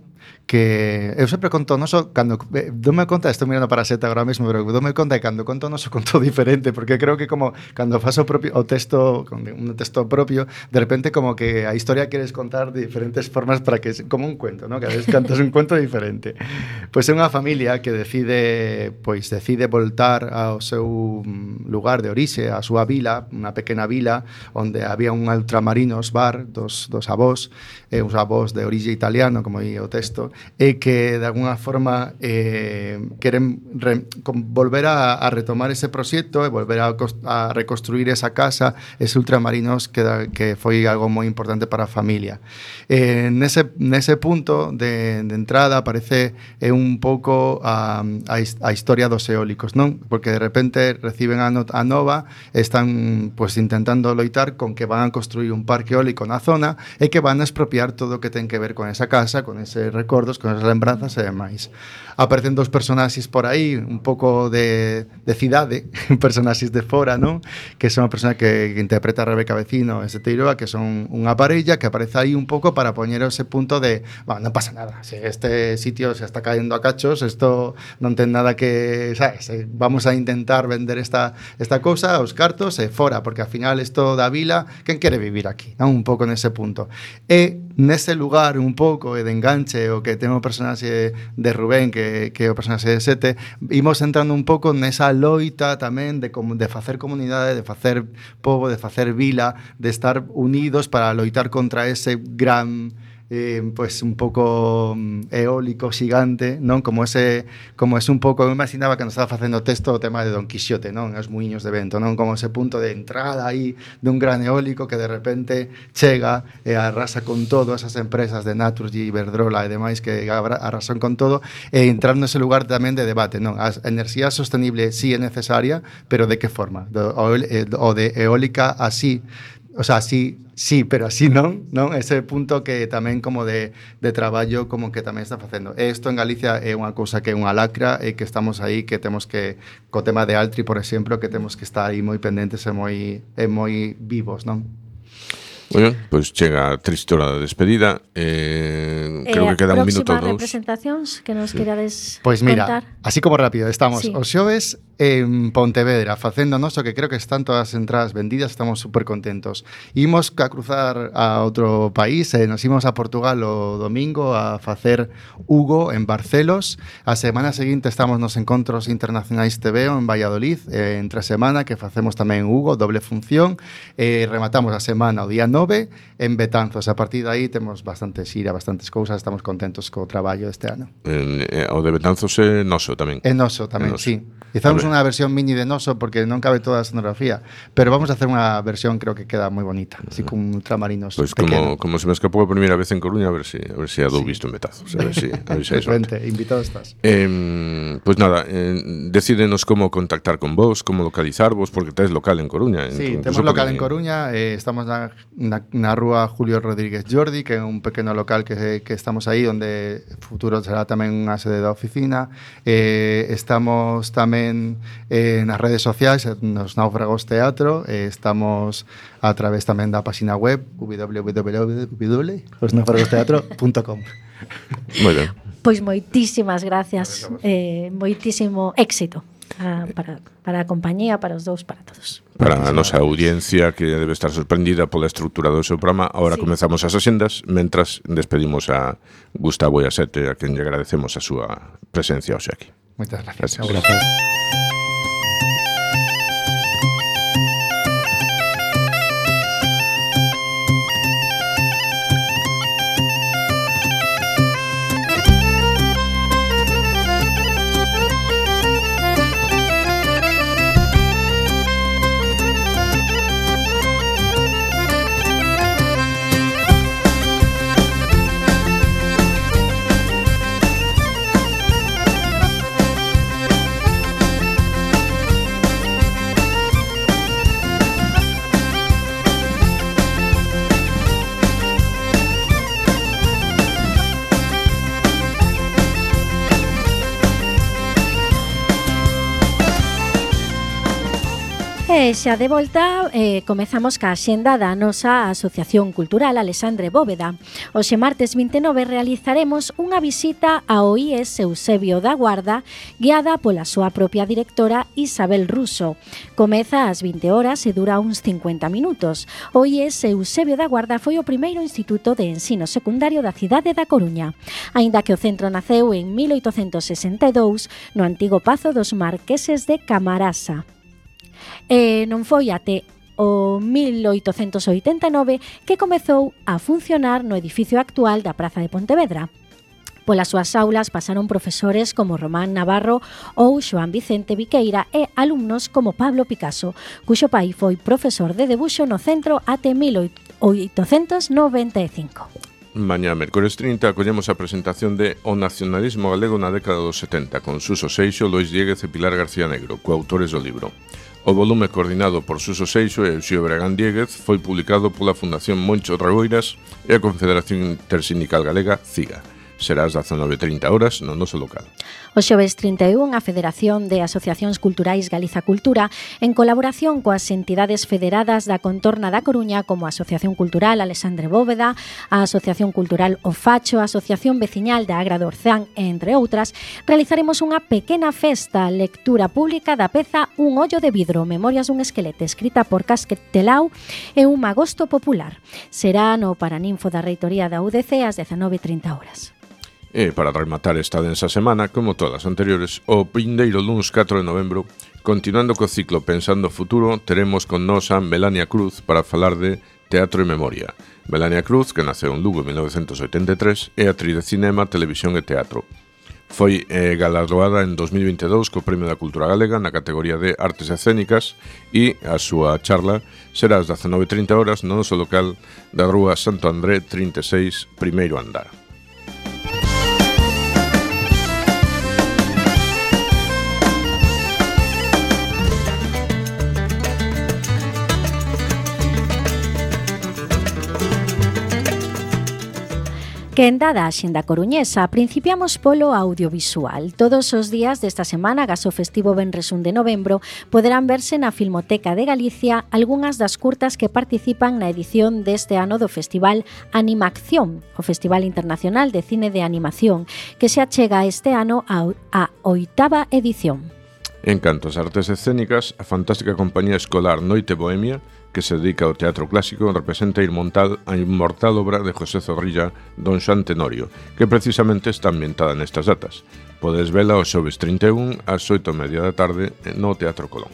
que eu sempre conto Noso cando dome conta, estou mirando para a Seta agora mesmo, pero dome conta que cando conto Noso conto diferente, porque creo que como cando faço o texto, un texto propio, de repente como que a historia queres contar de diferentes formas para que como un cuento, ¿no? Cada vez cantas un cuento diferente. Pois é unha familia que decide voltar ao seu lugar de orixe, a súa vila, unha pequena vila onde había un ultramarinos bar dos avós, uns avós de orixe italiano, como di o texto, é que de alguna forma queren volver a retomar ese proxecto e volver a reconstruir esa casa, ese ultramarinos que foi algo moi importante para a familia. Nese punto de entrada aparece un pouco a historia dos eólicos, non? Porque de repente reciben a nova, están pues intentando loitar con que van a construir un parque eólico na zona e que van a expropiar todo o que ten que ver con esa casa, con eses recordos, con esas lembranzas e demais. Aparecen dos personaxes por aí, un pouco de cidade, personaxes de fora, non? Que son a persona que interpreta a Rebeca Vecino e Seteiroa, que son unha parella que aparece aí un pouco para poñer ese punto de, bueno, non pasa nada, se este sitio se está cayendo a cachos, isto non ten nada que, sabes, vamos a intentar vender esta cousa, os cartos e fora, porque ao final isto da vila, quen quere vivir aquí, non? Un pouco nese punto. E nese lugar un pouco de enganche o que ten o personaxe de Rubén, que é o personaxe de Sete, imos entrando un pouco nesa loita tamén de facer comunidade, de facer pobo, de facer vila, de estar unidos para loitar contra ese gran pues un pouco eólico xigante, non? Como ese un pouco, eu imaginaba que nos estaba facendo texto o tema de Don Quixote, non? Os muiños de vento, non? Como ese punto de entrada aí dun gran eólico que de repente chega e arrasa con todo esas empresas de Naturgy, Iberdrola e demais que arrasan con todo, e entrar nese lugar tamén de debate, non? A enerxía sostenible sí é necesaria, pero de que forma? O de eólica así, o sea, sí, pero así non? Ese punto que tamén como de traballo como que tamén está facendo. Isto en Galicia é unha cousa que é unha lacra e que estamos aí, que temos que, co tema de Altri, por exemplo, que temos que estar aí moi pendentes e moi vivos, non? Bueno, pois chega a triste hora de despedida. Creo que queda un minuto ou dous. Representacións que nos querades pois mira, contar. así como rápido, estamos sí. Os xoves en Pontevedra facendo noso, que creo que están todas as entradas vendidas, estamos super contentos. Imos a cruzar a outro país, nos imos a Portugal o domingo a facer Hugo en Barcelos. A semana seguinte estamos nos encontros internacionais TVO en Valladolid, entre semana que facemos tamén Hugo, doble función. Rematamos a semana o día 9 en Betanzos. A partir de aí temos bastante xira, bastantes cousas, estamos contentos co traballo este ano. O de Betanzos é noso tamén. É noso tamén, sí. Hicimos unha versión mini de noso porque non cabe toda a escenografía, pero vamos a hacer unha versión, creo que queda moi bonita, así con ultramarinos. Pois como se me escapou a primeira vez en Coruña, a ver se a dou visto en Betanzos, a ver se hai sorte. Invitado estás. Pois nada, decídenos como contactar con vos, como localizarvos, porque tes local en Coruña. Sí, temos local en Coruña, estamos na rúa Julio Rodríguez Jordi, que é un pequeno local que estamos aí, onde futuro será tamén unha sede da oficina. Estamos tamén nas redes sociais, nos Náufragos Teatro, estamos a través tamén da página web www.losnaufragosteatro.com. Moi ben. Pois moitísimas gracias, moitísimo éxito para a compañía, para os dous, para todos. Para a nosa audiencia, que debe estar sorprendida pola estrutura do seu programa. Ahora comezamos as axendas, mentras despedimos a Gustavo e a Sete, a quen lle agradecemos a súa presencia hoxe aquí. Moitas gracias. Gracias. E xa de volta, comezamos ca axenda da nosa Asociación Cultural Alexandre Bóveda. Hoxe martes 29 realizaremos unha visita ao IES Eusebio da Guarda, guiada pola súa propia directora Isabel Russo. Comeza ás 20 horas e dura uns 50 minutos. O IES Eusebio da Guarda foi o primeiro instituto de ensino secundario da cidade da Coruña. Aínda que o centro naceu en 1862 no antigo Pazo dos Marqueses de Camarasa. Non foi até o 1889 que comezou a funcionar no edificio actual da Praza de Pontevedra. Polas súas aulas pasaron profesores como Román Navarro ou Xoán Vicente Viqueira e alumnos como Pablo Picasso, cuxo pai foi profesor de debuxo no centro até 1895. Mañá, mércores 30, acollemos a presentación de O nacionalismo galego na década dos 70 con Suso Seixo, Lois Diéguez e Pilar García Negro, coautores do libro. O volume coordinado por Suso Seixo e Eusío Bragán Diéguez foi publicado pola Fundación Moncho Raboiras e a Confederación Intersindical Galega, CIGA. Será ás 19:30 horas no noso local. O xoves 31, a Federación de Asociacións Culturais Galiza Cultura, en colaboración coas entidades federadas da contorna da Coruña como a Asociación Cultural Alexandre Bóveda, a Asociación Cultural O Facho, a Asociación Veciñal da Agra do Orzán, entre outras, realizaremos unha pequena festa, lectura pública da peza Un ollo de vidro, Memorias dun esquelete, escrita por Casquet Telau e un magosto popular. Será no Paraninfo da Reitoría da UDC ás 19:30 horas. E para rematar esta densa semana, como todas as anteriores, o vindeiro luns 4 de novembro, continuando co ciclo Pensando o Futuro, teremos con nós a Melania Cruz para falar de Teatro e Memoria. Melania Cruz, que naceu en Lugo en 1983, é actriz de cinema, televisión e teatro. Foi galardoada en 2022 co Premio da Cultura Galega na categoría de Artes Escénicas e a súa charla será ás 19:30 horas no noso local da Rúa Santo André 36, primeiro andar. Que en dada a xenda coruñesa, principiamos polo audiovisual. Todos os días desta semana, gas o festivo Venres 1 de novembro, poderán verse na Filmoteca de Galicia algunhas das curtas que participan na edición deste ano do Festival Animacción, o Festival Internacional de Cine de Animación, que se achega este ano a 8ª edición. En canto ás artes escénicas, a fantástica compañía escolar Noite Bohemia, que se dedica ao teatro clásico, representa a inmortal obra de José Zorrilla, Don Xoán Tenorio, que precisamente está ambientada nestas datas. Podes vela o xoves 31 ás 8:30 da tarde no Teatro Colón.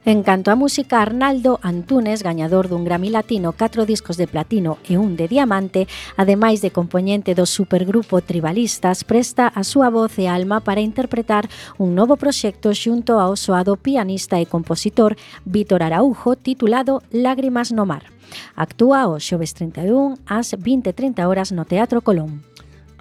En canto á música, Arnaldo Antunes, gañador dun Grammy Latino, 4 discos de platino e un de diamante, ademais de compoñente do supergrupo Tribalistas, presta a súa voz e alma para interpretar un novo proxecto xunto ao soado pianista e compositor Vítor Araujo, titulado Lágrimas no mar. Actúa o xoves 31 ás 20:30 horas no Teatro Colón.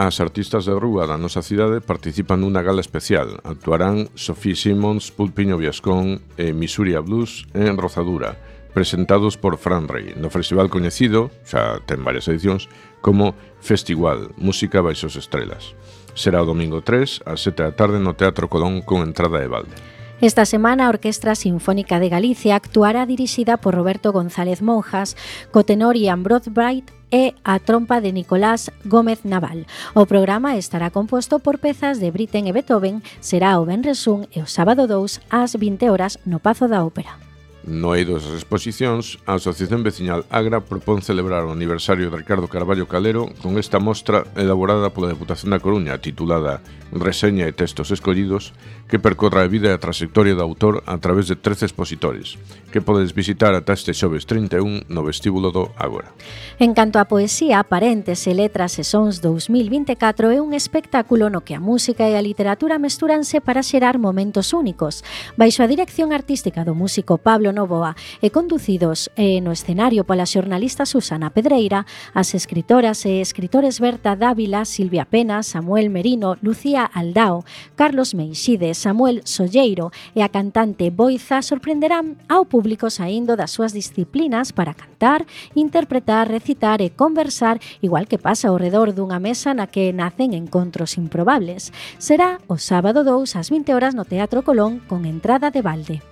As artistas de rúa da nosa cidade participan nunha gala especial. Actuarán Sofía Simons, Pulpiño Viascón e Misuria Blues en Rozadura, presentados por Fran Rey, no festival coñecido, xa ten varias edicións, como Festival, Música baixo as estrelas. Será o domingo 3, ás 7 da tarde no Teatro Colón con entrada de balde. Esta semana a Orquestra Sinfónica de Galicia actuará dirixida por Roberto González Monjas, co tenor Ian Broadbright e a trompa de Nicolás Gómez Naval. O programa estará composto por pezas de Britten e Beethoven, será o venres 1 e o sábado 2 ás 20 horas no Pazo da Ópera. No eido das exposicións, a Asociación Veciñal Agra propón celebrar o aniversario de Ricardo Carballo Calero con esta mostra elaborada pola Deputación da Coruña titulada Reseña e textos escollidos, que percorra a vida e a trayectoria do autor a través de 13 expositores, que podes visitar ata este xoves 31 no vestíbulo do Ágora. En canto á poesía, Parentes e Letras e Sons 2024 é un espectáculo no que a música e a literatura mestúranse para xerar momentos únicos. Baixo a dirección artística do músico Pablo Novoa e conducidos no escenario pola xornalista Susana Pedreira, as escritoras e escritores Berta Dávila, Silvia Pena, Samuel Merino, Lucía Aldao, Carlos Meixides, Samuel Solleiro e a cantante Boiza sorprenderán ao público saindo das súas disciplinas para cantar, interpretar, recitar e conversar, igual que pasa ao redor dunha mesa na que nacen encontros improbables. Será o sábado 2 ás 20 horas no Teatro Colón con entrada de balde.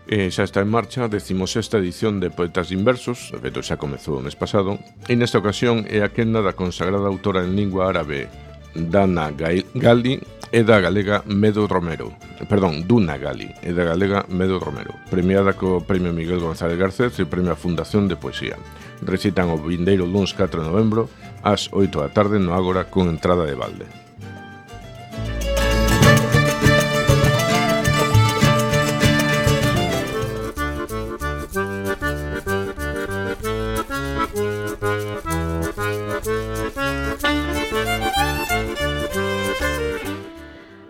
Xa está en marcha a 16ª edición de Poetas Inversos, de feito xa comezou o mes pasado, e nesta ocasión é a quenda da consagrada autora en lingua árabe Dana Gali e da galega Medo Romero, Duna Gali e da galega Medo Romero, premiada co Premio Miguel González Garcés e o Premio a Fundación de Poesía. Recitan o vindeiro luns 4 de novembro ás 8 da tarde no Ágora con entrada de balde.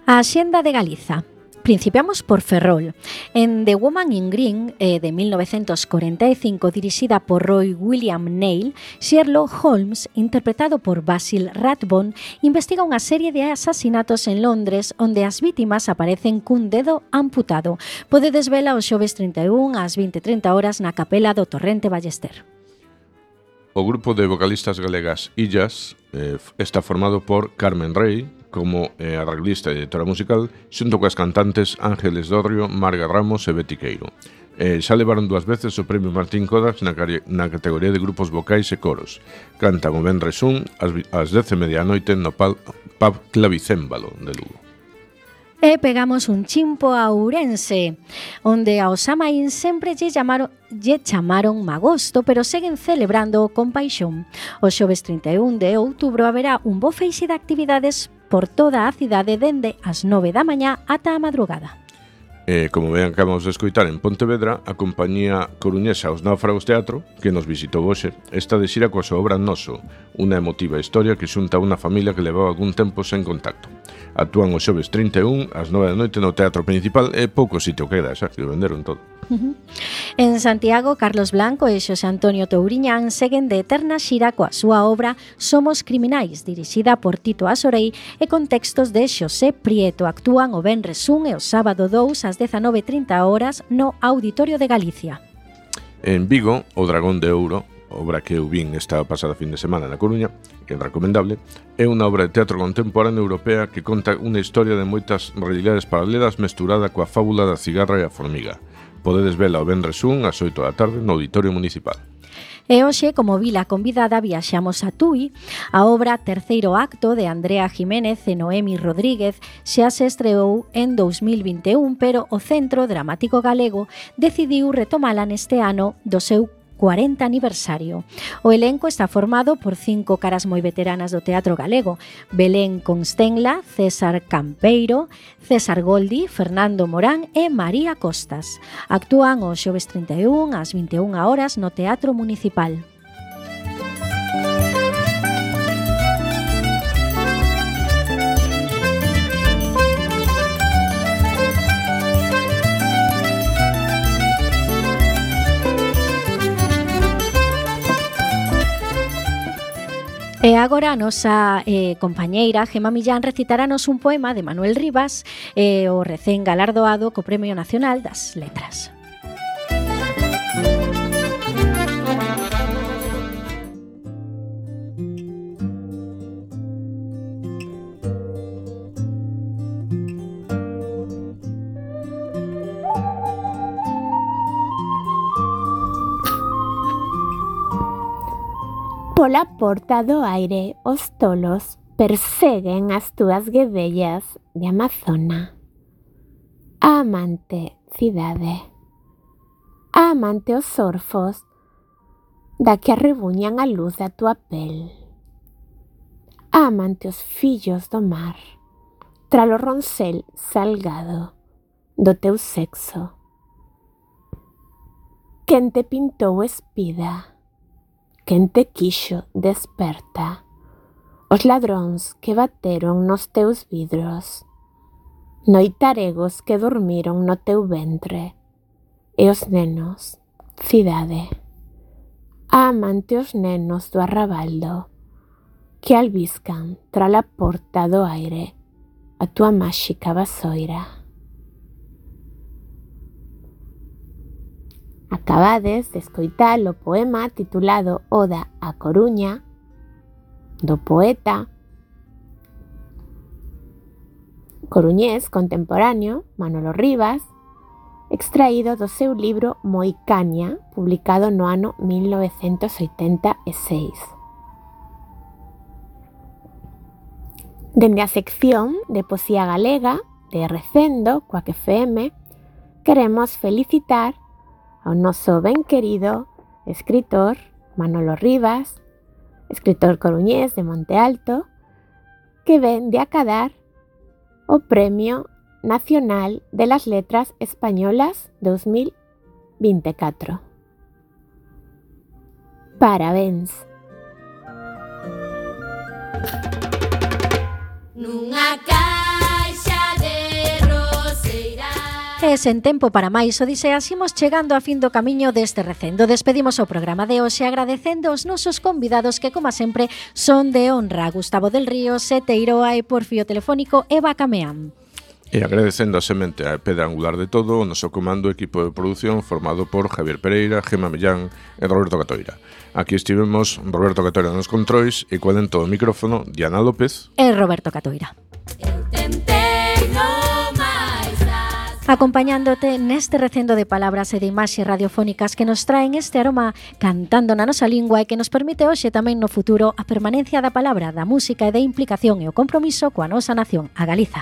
A Axenda de Galiza. Principiamos por Ferrol. En The Woman in Green, de 1945, dirixida por Roy William Neill, Sherlock Holmes, interpretado por Basil Rathbone, investiga unha serie de asasinatos en Londres onde as vítimas aparecen cun dedo amputado. Podedes vela o xoves 31 ás 20:30 horas na capela do Torrente Ballester. O grupo de vocalistas galegas Illas está formado por Carmen Rey, como arreglista e editora musical, xunto coas cantantes Ángeles Dorrio, Marga Ramos e Betty Queiro. Xa levaron 2 veces o premio Martín Kodax na categoría de grupos vocais e coros. Cantan o venres ás 10:30 no Pub Clavicémbalo de Lugo. E pegamos un chimpo a Ourense, onde ao Samaín sempre lle chamaron magosto, pero seguen celebrando con paixón. O xoves 31 de outubro haberá un bo feixe de actividades por toda a cidade dende as 9 da mañá ata a madrugada. Como ben acabamos de escoitar en Pontevedra, a compañía coruñesa Os Náufragos Teatro, que nos visitou hoxe, está de xira coa súa obra Noso, unha emotiva historia que xunta a unha familia que levaba algún tempo sen contacto. Actúan o xoves 31 ás 9 da noite no Teatro Principal e pouco sitio queda, xa que o venderon todo. En Santiago, Carlos Blanco e Xosé Antonio Touriñán seguen de eterna xira coa súa obra Somos Criminais, dirixida por Tito Asorei e con textos de Xosé Prieto. Actúan o venres 1 e o sábado 2 ás 19:30 horas no Auditorio de Galicia. En Vigo, O Dragón de Ouro, obra que eu vin esta pasada fin de semana na Coruña, que é recomendable, é unha obra de teatro contemporáneo europea que conta unha historia de moitas realidades paralelas mesturada coa fábula da cigarra e a formiga. Podedes vela o venres 1 ás 8 da tarde no Auditorio Municipal. E hoxe, como vila convidada, viaxamos a Tui. A obra Terceiro Acto de Andrea Jiménez e Noemi Rodríguez xa se estreou en 2021, pero o Centro Dramático Galego decidiu retomala neste ano do seu 40 aniversario. O elenco está formado por 5 caras moi veteranas do teatro galego: Belén Constenla, César Campeiro, César Goldi, Fernando Morán e María Costas. Actúan o xoves 31 ás 21 horas no Teatro Municipal. E agora a nosa compañeira Gema Millán recitaranos un poema de Manuel Rivas, o recén galardoado co Premio Nacional das Letras. Pola porta do aire os tolos perseguen as túas guedellas de Amazona. A amante cidade, a amante os orfos da que arrebuñan a luz da túa pel, a amante os fillos do mar, tralo roncel salgado do teu sexo. Quen te pintou espida, quen te quixo desperta, os ladróns que bateron nos teus vidros, noitaregos que dormiron no teu ventre, e os nenos, cidade, a amante os nenos do arrabaldo, que albiscan tra la porta do aire a túa máxica vasoira. Acabades de escoitar o poema titulado Oda a Coruña, do poeta coruñés contemporáneo Manolo Rivas, extraído do seu libro Moicania, publicado no ano 1986. Dende a sección de Poesía Galega de Recendo, Coac FM, queremos felicitar ao noso ben querido escritor Manolo Rivas, escritor coruñés de Monte Alto, que ven de acadar o Premio Nacional de las Letras Españolas 2024. Parabéns! Nunha caixa de E sen tempo para máis odiseas, imos chegando a fin do camiño deste recendo. Despedimos o programa de hoxe agradecendo aos nosos convidados que, como sempre, son de honra: Gustavo del Río, Sete Iroa e por fío telefónico Eva Cameán. E agradecendo a semente a pedra angular de todo o noso comando equipo de produción formado por Javier Pereira, Gemma Millán e Roberto Catoira. Aquí estivemos Roberto Catoira nos controis e coa dentro do micrófono Diana López e Roberto Catoira. Acompañándote neste recendo de palabras e de imaxes radiofónicas que nos traen este aroma cantando na nosa lingua e que nos permite hoxe tamén no futuro a permanencia da palabra, da música e da implicación e o compromiso coa nosa nación, a Galiza.